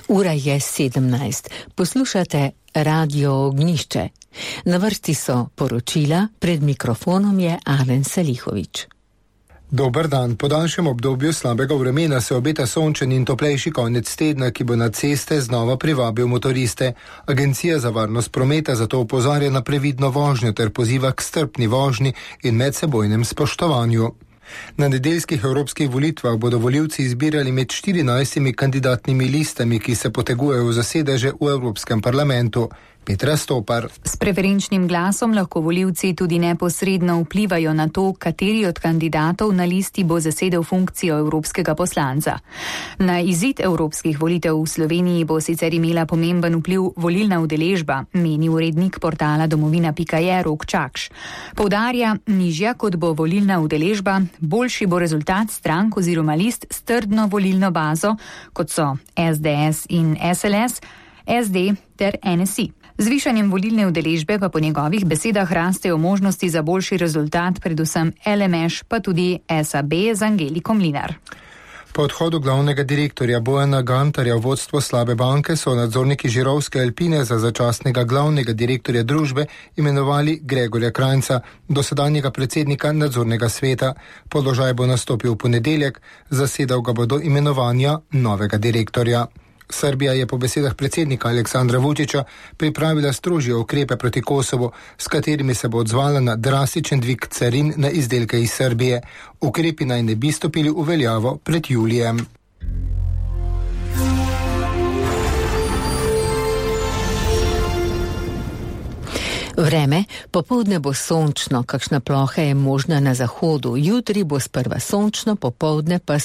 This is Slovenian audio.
Ura je 17. Poslušate Radio Ognjišče. Na vrsti so poročila, pred mikrofonom je Alen Salihović. Dober dan. Po daljšem obdobju slabega vremena se obeta sončen in toplejši konec tedna, ki bo na ceste znova privabil motoriste. Agencija za varnost prometa zato opozarja na previdno vožnjo ter poziva k strpni vožnji in medsebojnem spoštovanju. Na nedeljskih evropskih volitvah bodo volivci izbirali med 14 kandidatnimi listami, ki se potegujejo za sedeže v Evropskem parlamentu. Petra Stopar. S preferenčnim glasom lahko volivci tudi neposredno vplivajo na to, kateri od kandidatov na listi bo zasedel funkcijo evropskega poslanca. Na izid evropskih volitev v Sloveniji bo sicer imela pomemben vpliv volilna udeležba, meni urednik portala domovina.je Rok Čakš. Poudarja, nižja kot bo volilna udeležba, boljši bo rezultat strank oziroma list s trdno volilno bazo, kot so SDS in SLS, SD ter NSI. Z višanjem volilne udeležbe pa po njegovih besedah rastejo možnosti za boljši rezultat, predvsem LMŠ, pa tudi SAB z Angeliko Mlinar. Po odhodu glavnega direktorja Bojana Gantarja v vodstvo slabe banke so nadzorniki Žirovske Alpine za začasnega glavnega direktorja družbe imenovali Gregorja Krajnca, dosedanjega predsednika nadzornega sveta. Položaj bo nastopil v ponedeljek, zasedal ga bo do imenovanja novega direktorja. Srbija je po besedah predsednika Aleksandra Vučića pripravila strožje ukrepe proti Kosovu, s katerimi se bo odzvala na drastičen dvig carin na izdelke iz Srbije. Ukrepi naj ne bi stopili v veljavo pred julijem. Vreme, popoldne bo sončno, kakšna ploha je možna na zahodu. Jutri bo sprva sončno, popoldne pa s